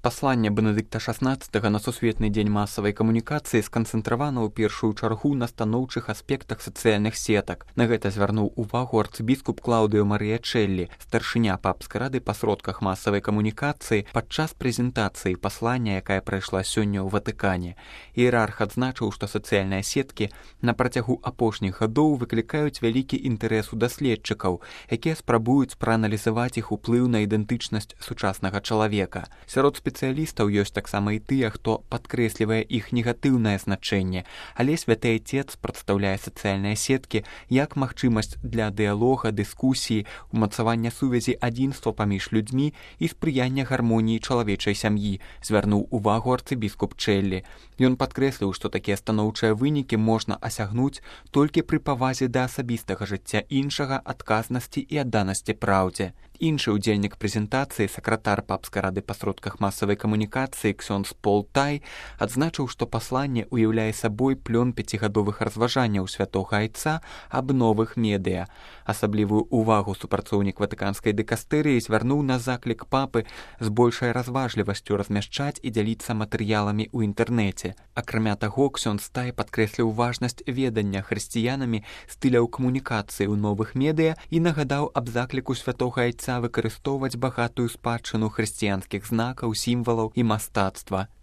Пасланне Бенедыкта XVI на сусветны дзень масавай камунікацыі сканцэнтравана ў першую чаргу на станоўчых аспектах сацыяльных сетак. На гэта звярнуў увагу арцыбіскуп Клаўдыо Марыя Чэллі, старшыня папскай рады па сродках масавай камунікацыі падчас прэзентацыі паслання, якая прайшла сёння ў Ватыкане. Іерарх адзначыў, што сацыяльныя сеткі на працягу апошніх гадоў выклікаюць вялікі інтарэс у даследчыкаў, якія спрабуюць прааналізаваць іх уплыў на ідэнтычнасць сучаснага чалавека. Сярод спецыялістаў ёсць таксама і тыя, хто падкрэслівае іх негатыўнае значэнне, але святы Айцец прадстаўляе сацыяльныя сеткі як магчымасць для дыялога, дыскусіі, умацавання сувязі адзінства паміж людзьмі і спрыяння гармоніі чалавечай сям'і, звярнуў увагу арцыбіскуп Чэллі. Ён падкрэсліў, што такія станоўчыя вынікі можна асягнуць толькі пры павазе да асабістага жыцця іншага, адказнасці і адданасці праўдзе. Іншы ўдзельнік прэзентацыі, сакратар папскай рады па сродках масавай камунікацыі ксёндз Пол Тай, адзначыў, што пасланне ўяўляе сабой плён 5гадовых разважанняў святога Айца аб новых медыа. Асаблівую ўвагу супрацоўнік ватыканскай дыкастэрыі звярнуў на заклік папы з большай разважлівасцю размяшчаць і дзяліцца матэрыяламі ў інтэрнэце. Акрамя таго, ксёндз Тай падкрэсліў важнасць ведання хрысціянамі стыляў камунікацыі ў новых медыа і нагадаў аб закліку святога Айца выкарыстоўваць багатую спадчыну хрысціянскіх знакаў, сімвалаў і мастацтва.